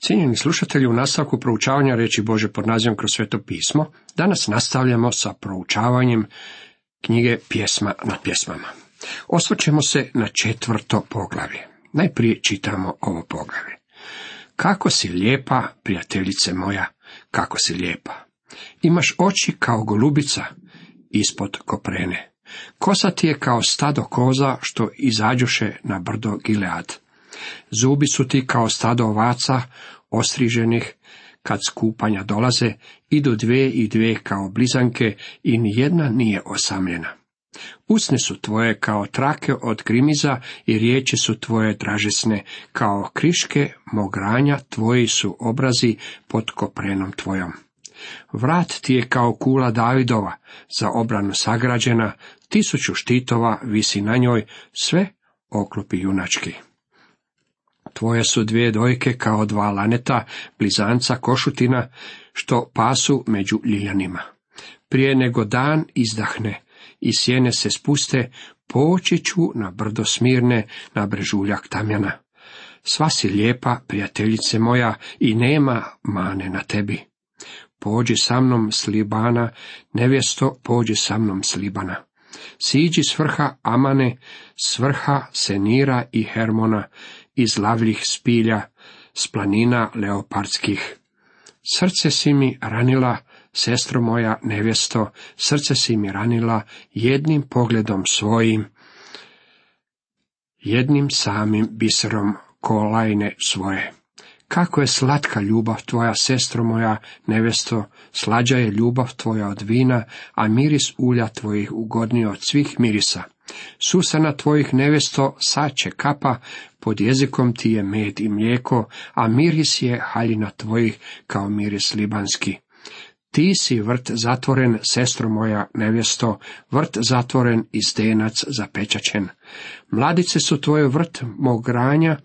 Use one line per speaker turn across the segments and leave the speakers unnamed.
Cijenjeni slušatelji, u nastavku proučavanja riječi Božje pod nazivom Kroz sveto pismo, danas nastavljamo sa proučavanjem knjige Pjesma nad pjesmama. Osvrćemo se na 4. poglavlje. Najprije čitamo ovo poglavlje. Kako si lijepa, prijateljice moja, kako si lijepa. Imaš oči kao golubica ispod koprene. Kosa ti je kao stado koza što izađoše na brdo Gilead. Zubi su ti kao stado ovaca ostriženih, kad skupanja dolaze, idu dvije i dvije kao blizanke i nijedna nije osamljena. Usne su tvoje kao trake od grimiza i riječi su tvoje dražesne, kao kriške mogranja tvoji su obrazi pod koprenom tvojom. Vrat ti je kao kula Davidova, za obranu sagrađena, 1000 štitova visi na njoj, sve oklopi junački. Tvoje su 2 dojke kao 2 laneta, blizanca košutina, što pasu među ljiljanima. Prije nego dan izdahne i sjene se spuste, poći ću na brdo Smirne, na brežuljak tamjana. Sva si lijepa, prijateljice moja, i nema mane na tebi. Pođi sa mnom s Libana, nevjesto, pođi sa mnom s Libana. Siđi s vrha Amane, s vrha Senira i Hermona, iz lavljih spilja, s planina leopardskih. Srce si mi ranila, sestro moja nevjesto, srce si mi ranila jednim pogledom svojim, jednim samim biserom kolajne svoje. Kako je slatka ljubav tvoja, sestro moja nevjesto, slađa je ljubav tvoja od vina, a miris ulja tvojih ugodniji od svih mirisa. Susana tvojih nevjesto sače kapa, pod jezikom ti je med i mlijeko, a miris je haljina tvojih kao miris libanski. Ti si vrt zatvoren, sestro moja nevjesto, vrt zatvoren i zdenac zapečaćen. Mladice su tvoje vrt mogranja,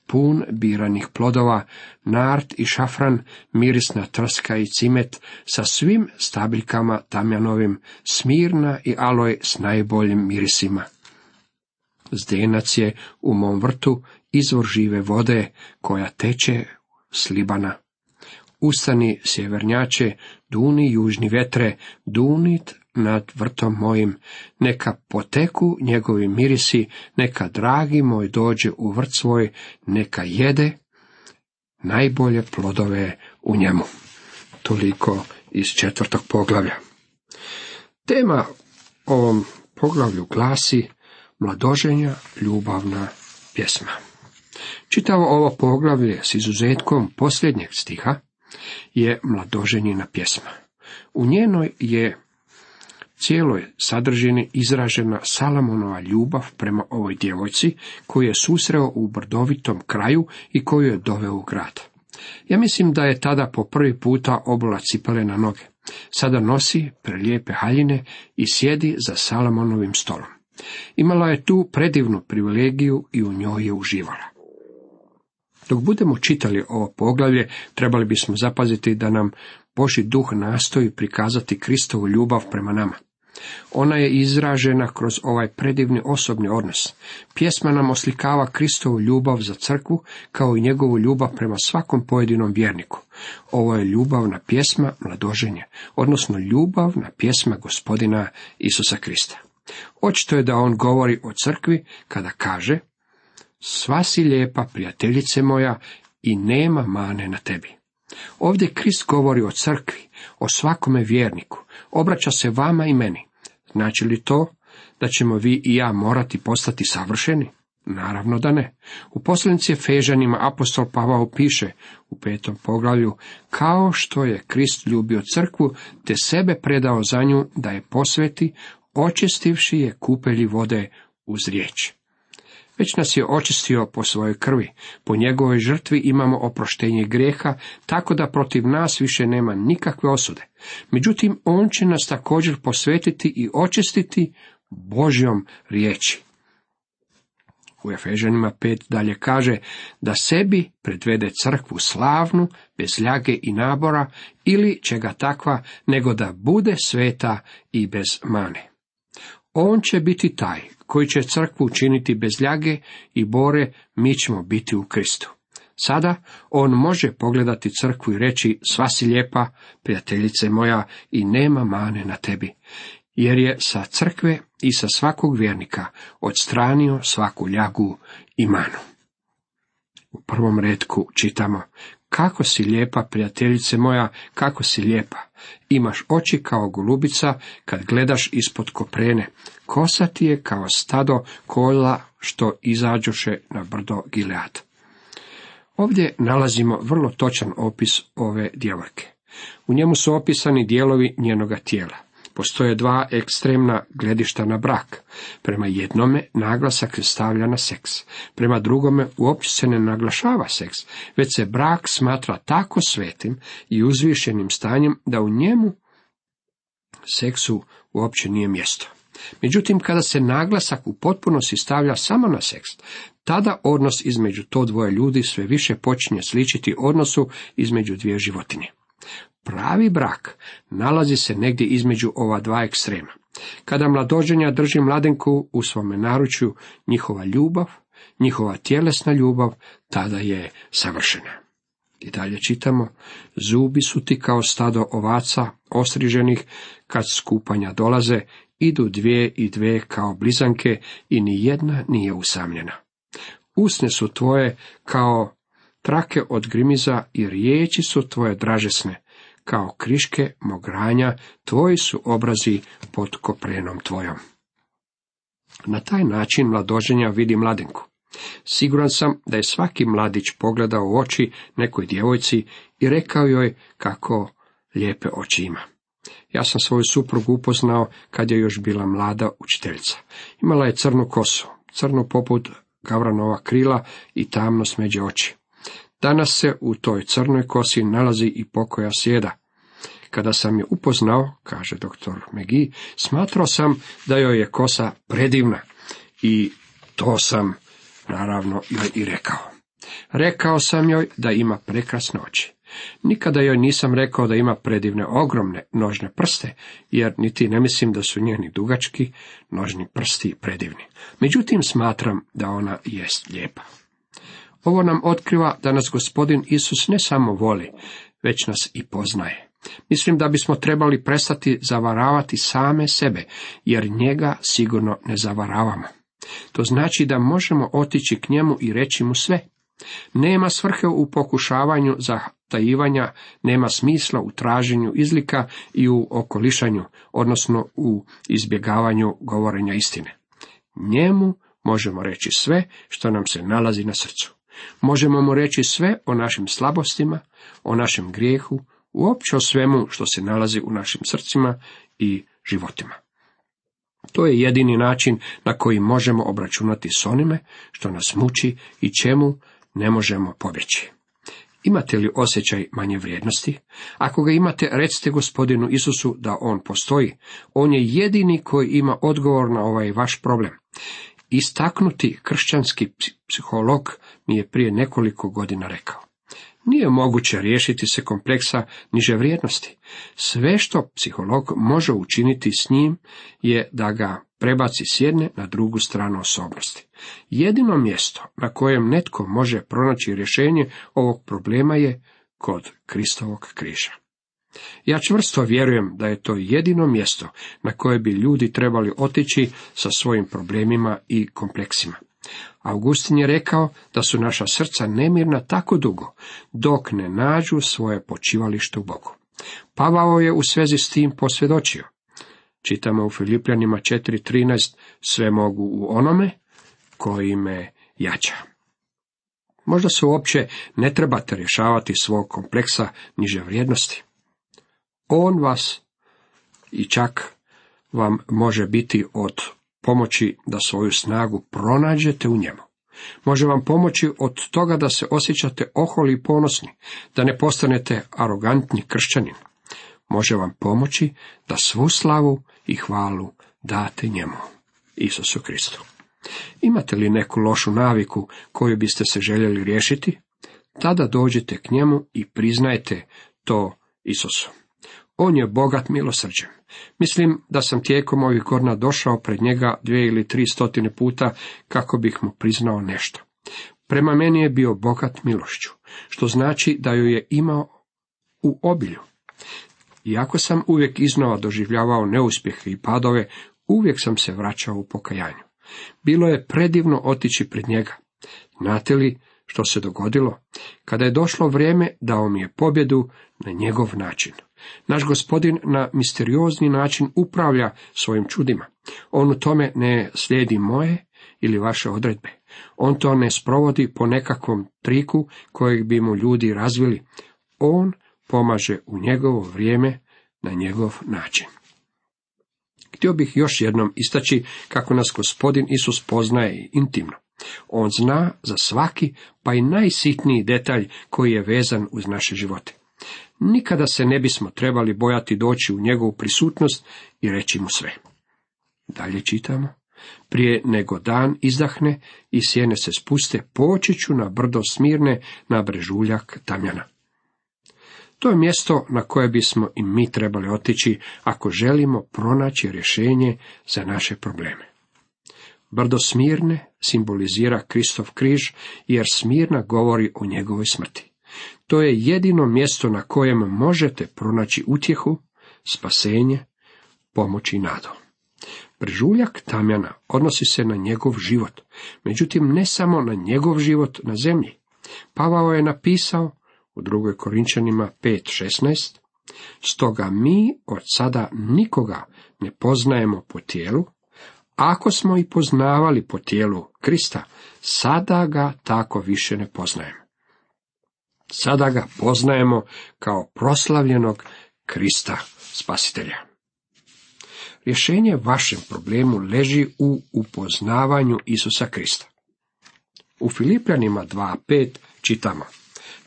pun biranih plodova, nart i šafran, mirisna trska i cimet, sa svim stabiljkama tamjanovim, smirna i aloj s najboljim mirisima. Zdenac je u mom vrtu izvor žive vode, koja teče s Libana. Ustani, sjevernjače, duni južni vetre, dunit nad vrtom mojim, neka poteku njegovi mirisi, neka dragi moj dođe u vrt svoj, neka jede najbolje plodove u njemu. Toliko iz 4. poglavlja. Tema ovom poglavlju glasi mladoženja, ljubavna pjesma. Čitavo ovo poglavlje s izuzetkom posljednjeg stiha je mladoženjina pjesma. U njenoj je cijeloj sadržini izražena Salamonova ljubav prema ovoj djevojci koju je susreo u brdovitom kraju i koju je doveo u grad. Ja mislim da je tada po prvi puta obula cipele na noge. Sada nosi prelijepe haljine i sjedi za Salomonovim stolom. Imala je tu predivnu privilegiju i u njoj je uživala. Dok budemo čitali ovo poglavlje, trebali bismo zapaziti da nam Božji duh nastoji prikazati Kristovu ljubav prema nama. Ona je izražena kroz ovaj predivni osobni odnos. Pjesma nam oslikava Kristovu ljubav za crkvu, kao i njegovu ljubav prema svakom pojedinom vjerniku. Ovo je ljubavna pjesma mladoženje, odnosno ljubavna pjesma Gospodina Isusa Krista. Očito je da on govori o crkvi kada kaže: sva si lijepa, prijateljice moja, i nema mane na tebi. Ovdje Krist govori o crkvi, o svakome vjerniku, obraća se vama i meni. Znači li to da ćemo vi i ja morati postati savršeni? Naravno da ne. U poslanici Efežanima apostol Pavao piše u 5. poglavlju: kao što je Krist ljubio crkvu, te sebe predao za nju da je posveti, očistivši je kupelji vode uz riječ. Već nas je očistio po svojoj krvi, po njegovoj žrtvi imamo oproštenje grijeha, tako da protiv nas više nema nikakve osude. Međutim, on će nas također posvetiti i očistiti Božjom riječi. U Efežanima 5 dalje kaže da sebi predvede crkvu slavnu, bez ljage i nabora, ili čega takva, nego da bude sveta i bez mane. On će biti taj koji će crkvu učiniti bez ljage i bore, mi ćemo biti u Kristu. Sada on može pogledati crkvu i reći: sva si lijepa, prijateljice moja, i nema mane na tebi, jer je sa crkve i sa svakog vjernika odstranio svaku ljagu i manu. U prvom retku čitamo: kako si lijepa, prijateljice moja, kako si lijepa. Imaš oči kao golubica kad gledaš ispod koprene. Kosa ti je kao stado kola što izađoše na brdo Gilead. Ovdje nalazimo vrlo točan opis ove djevojke. U njemu su opisani dijelovi njenoga tijela. Postoje dva ekstremna gledišta na brak. Prema jednome naglasak se stavlja na seks. Prema drugome uopće se ne naglašava seks, već se brak smatra tako svetim i uzvišenim stanjem da u njemu seksu uopće nije mjesto. Međutim, kada se naglasak u potpunosti stavlja samo na seks, tada odnos između to dvoje ljudi sve više počinje sličiti odnosu između dvije životinje. Pravi brak nalazi se negdje između ova dva ekstrema. Kada mladoženja drži mladenku u svome naručju, njihova ljubav, njihova tjelesna ljubav, tada je savršena. I dalje čitamo: zubi su ti kao stado ovaca ostriženih, kad skupanja dolaze, idu dvije i dvije kao blizanke i ni jedna nije usamljena. Usne su tvoje kao trake od grimiza i riječi su tvoje dražesne, kao kriške mogranja, tvoji su obrazi pod koprenom tvojom. Na taj način mladoženja vidi mladenku. Siguran sam da je svaki mladić pogledao u oči nekoj djevojci i rekao joj kako lijepe oči ima. Ja sam svoju suprugu upoznao kad je još bila mlada učiteljica. Imala je crnu kosu, crnu poput gavranova krila i tamno smeđe oči. Danas se u toj crnoj kosi nalazi i pokoja sjeda. Kada sam je upoznao, kaže dr. McGee, smatrao sam da joj je kosa predivna i to sam naravno joj i rekao. Rekao sam joj da ima prekrasne oči. Nikada joj nisam rekao da ima predivne ogromne nožne prste, jer niti ne mislim da su njeni dugački nožni prsti predivni. Međutim, smatram da ona jest lijepa. Ovo nam otkriva da nas Gospodin Isus ne samo voli, već nas i poznaje. Mislim da bismo trebali prestati zavaravati same sebe, jer njega sigurno ne zavaravamo. To znači da možemo otići k njemu i reći mu sve. Nema svrhe u pokušavanju zatajivanja, nema smisla u traženju izlika i u okolišanju, odnosno u izbjegavanju govorenja istine. Njemu možemo reći sve što nam se nalazi na srcu. Možemo mu reći sve o našim slabostima, o našem grijehu, uopće o svemu što se nalazi u našim srcima i životima. To je jedini način na koji možemo obračunati s onime što nas muči i čemu ne možemo pobjeći. Imate li osjećaj manje vrijednosti? Ako ga imate, recite Gospodinu Isusu da on postoji. On je jedini koji ima odgovor na ovaj vaš problem. Istaknuti kršćanski psiholog mi je prije nekoliko godina rekao: nije moguće riješiti se kompleksa niže vrijednosti. Sve što psiholog može učiniti s njim je da ga prebaci s jedne na drugu stranu osobnosti. Jedino mjesto na kojem netko može pronaći rješenje ovog problema je kod Kristovog križa. Ja čvrsto vjerujem da je to jedino mjesto na koje bi ljudi trebali otići sa svojim problemima i kompleksima. Augustin je rekao da su naša srca nemirna tako dugo, dok ne nađu svoje počivalište u Bogu. Pavao je u svezi s tim posvjedočio. Čitamo u Filipljanima 4.13, sve mogu u onome koji me jača. Možda se uopće ne trebate rješavati svog kompleksa niže vrijednosti. On vas i čak vam može biti od pomoći da svoju snagu pronađete u njemu. Može vam pomoći od toga da se osjećate oholi i ponosni, da ne postanete arogantni kršćanin. Može vam pomoći da svu slavu i hvalu date njemu, Isusu Kristu. Imate li neku lošu naviku koju biste se željeli riješiti? Tada dođite k njemu i priznajte to Isusu. On je bogat milosrđem. Mislim da sam tijekom ovih godina došao pred njega 200 ili 300 puta kako bih mu priznao nešto. Prema meni je bio bogat milošću, što znači da ju je imao u obilju. Iako sam uvijek iznova doživljavao neuspjehe i padove, uvijek sam se vraćao u pokajanju. Bilo je predivno otići pred njega. Znate li što se dogodilo? Kada je došlo vrijeme, dao mi je pobjedu na njegov način. Naš Gospodin na misteriozni način upravlja svojim čudima. On u tome ne slijedi moje ili vaše odredbe. On to ne sprovodi po nekakvom triku kojeg bi mu ljudi razvili. On pomaže u njegovo vrijeme na njegov način. Htio bih još jednom istaći kako nas Gospodin Isus poznaje intimno. On zna za svaki, pa i najsitniji detalj koji je vezan uz naše živote. Nikada se ne bismo trebali bojati doći u njegovu prisutnost i reći mu sve. Dalje čitamo. Prije nego dan izdahne i sjene se spuste, poći ću na brdo Smirne, na brežuljak Tamjana. To je mjesto na koje bismo i mi trebali otići ako želimo pronaći rješenje za naše probleme. Brdo Smirne simbolizira Kristov križ, jer Smirna govori o njegovoj smrti. To je jedino mjesto na kojem možete pronaći utjehu, spasenje, pomoć i nadu. Brežuljak Tamjana odnosi se na njegov život, međutim ne samo na njegov život na zemlji. Pavao je napisao u 2. Korinčanima 5:16, stoga mi od sada nikoga ne poznajemo po tijelu, ako smo i poznavali po tijelu Krista, sada ga tako više ne poznajemo. Sada ga poznajemo kao proslavljenog Krista Spasitelja. Rješenje vašem problemu leži u upoznavanju Isusa Krista. U Filipljanima 2:5 čitamo: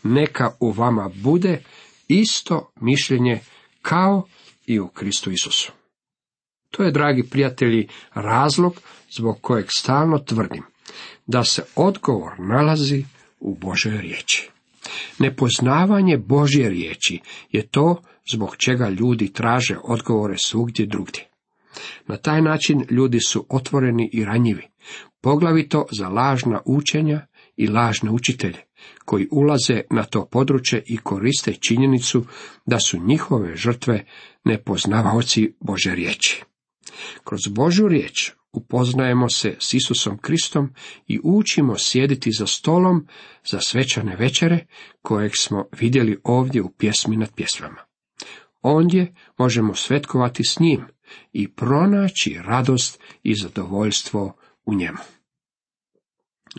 neka u vama bude isto mišljenje kao i u Kristu Isusu. To je, dragi prijatelji, razlog zbog kojeg stalno tvrdim da se odgovor nalazi u Božoj riječi. Nepoznavanje Božje riječi je to zbog čega ljudi traže odgovore svugdje drugdje. Na taj način ljudi su otvoreni i ranjivi, poglavito za lažna učenja i lažne učitelje, koji ulaze na to područje i koriste činjenicu da su njihove žrtve nepoznavaoci Božje riječi. Kroz Božju riječ upoznajemo se s Isusom Kristom i učimo sjediti za stolom za svečane večere, kojeg smo vidjeli ovdje u pjesmi nad pjesmama. Ondje možemo svetkovati s njim i pronaći radost i zadovoljstvo u njemu.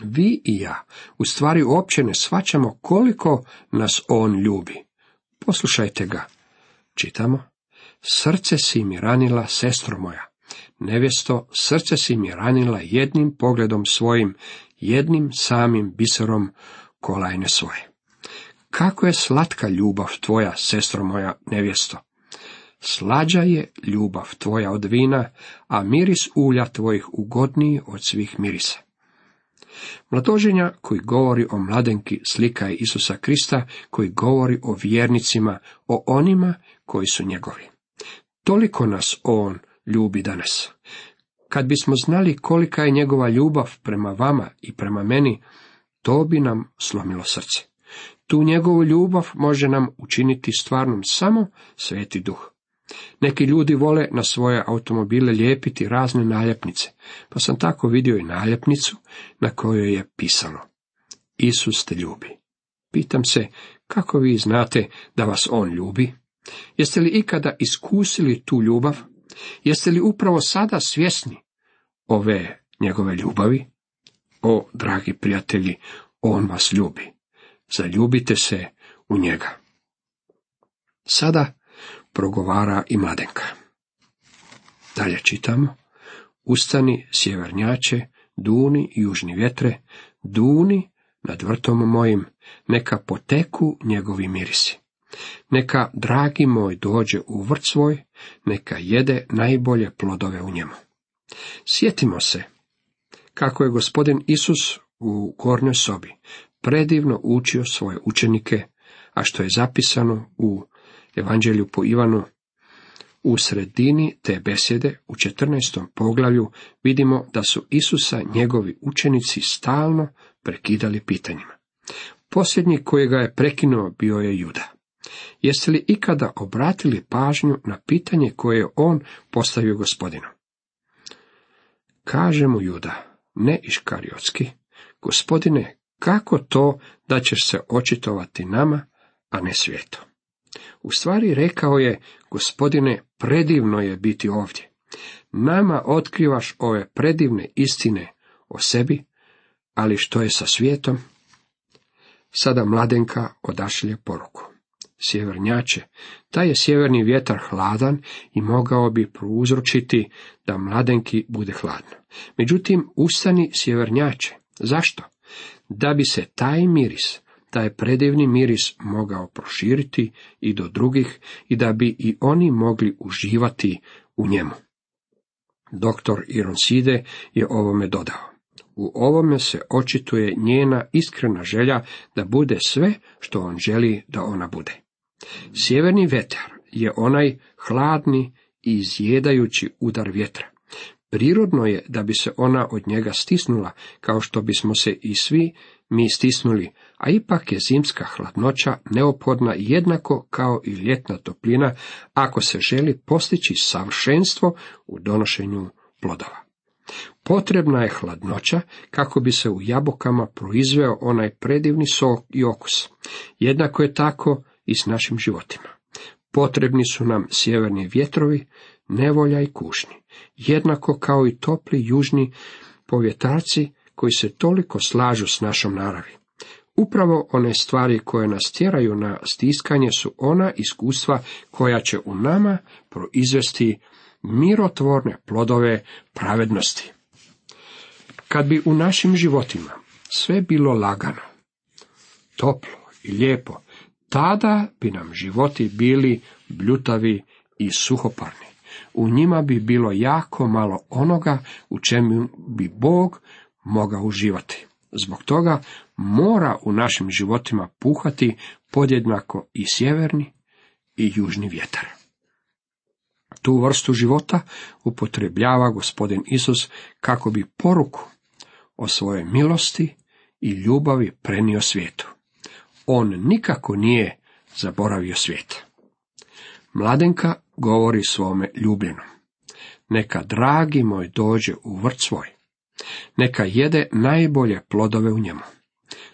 Vi i ja u stvari uopće ne shvaćamo koliko nas on ljubi. Poslušajte ga. Čitamo: srce si mi ranila, sestro moja. Nevjesto, srce si mi ranila jednim pogledom svojim, jednim samim biserom kolajne svoje. Kako je slatka ljubav tvoja, sestro moja nevjesto. Slađa je ljubav tvoja od vina, a miris ulja tvojih ugodniji od svih mirisa. Mladoženja koji govori o mladenki slika je Isusa Krista, koji govori o vjernicima, o onima koji su njegovi. Toliko nas on ljubi danas. Kad bismo znali kolika je njegova ljubav prema vama i prema meni, to bi nam slomilo srce. Tu njegovu ljubav može nam učiniti stvarnom samo Sveti Duh. Neki ljudi vole na svoje automobile lijepiti razne naljepnice, pa sam tako vidio i naljepnicu na kojoj je pisalo: Isus te ljubi. Pitam se, kako vi znate da vas on ljubi? Jeste li ikada iskusili tu ljubav? Jeste li upravo sada svjesni ove njegove ljubavi? O, dragi prijatelji, on vas ljubi. Zaljubite se u njega. Sada progovara i mladenka. Dalje čitamo: ustani, sjevernjače, duni, južni vjetre, duni nad vrtom mojim, neka poteku njegovi mirisi. Neka dragi moj dođe u vrt svoj, neka jede najbolje plodove u njemu. Sjetimo se kako je Gospodin Isus u gornjoj sobi predivno učio svoje učenike, a što je zapisano u Evanđelju po Ivanu. U sredini te besjede, u 14. poglavlju, vidimo da su Isusa njegovi učenici stalno prekidali pitanjima. Posljednji koji ga je prekinuo bio je Juda. Jeste li ikada obratili pažnju na pitanje koje je on postavio Gospodinu? Kaže mu Juda, ne Iškariotski, Gospodine, kako to da ćeš se očitovati nama, a ne svijetu? U stvari rekao je, Gospodine, predivno je biti ovdje. Nama otkrivaš ove predivne istine o sebi, ali što je sa svijetom? Sada mladenka odašilje poruku. Sjevernjače, taj je sjeverni vjetar hladan i mogao bi prouzročiti da mladenki bude hladno. Međutim, ustani sjevernjače. Zašto? Da bi se taj miris, taj predivni miris mogao proširiti i do drugih i da bi i oni mogli uživati u njemu. Doktor Ironside je ovome dodao. U ovome se očituje njena iskrena želja da bude sve što on želi da ona bude. Sjeverni vjetar je onaj hladni i izjedajući udar vjetra. Prirodno je da bi se ona od njega stisnula, kao što bismo se i svi mi stisnuli, a ipak je zimska hladnoća neophodna jednako kao i ljetna toplina, ako se želi postići savršenstvo u donošenju plodova. Potrebna je hladnoća kako bi se u jabukama proizveo onaj predivni sok i okus. Jednako je tako i s našim životima. Potrebni su nam sjeverni vjetrovi, nevolja i kušnji, jednako kao i topli južni povjetarci koji se toliko slažu s našom naravi. Upravo one stvari koje nas tjeraju na stiskanje su ona iskustva koja će u nama proizvesti mirotvorne plodove pravednosti. Kad bi u našim životima sve bilo lagano, toplo i lijepo, tada bi nam životi bili bljutavi i suhoparni. U njima bi bilo jako malo onoga u čemu bi Bog mogao uživati. Zbog toga mora u našim životima puhati podjednako i sjeverni i južni vjetar. Tu vrstu života upotrebljava Gospodin Isus kako bi poruku o svojoj milosti i ljubavi prenio svijetu. On nikako nije zaboravio svijet. Mladenka govori svome ljubljenom. Neka dragi moj dođe u vrt svoj. Neka jede najbolje plodove u njemu.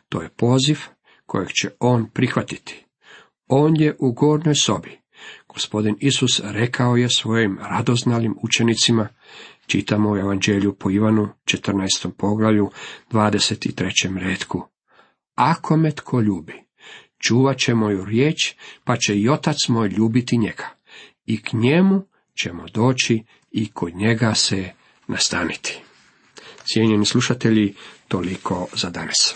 To je poziv kojeg će on prihvatiti. On je u gornjoj sobi. Gospodin Isus rekao je svojim radoznalim učenicima, čitamo u Evanđelju po Ivanu, 14. poglavlju, 23. retku. Ako me tko ljubi, čuvat će moju riječ, pa će i Otac moj ljubiti njega. I k njemu ćemo doći i kod njega se nastaniti. Cijenjeni slušatelji, toliko za danas.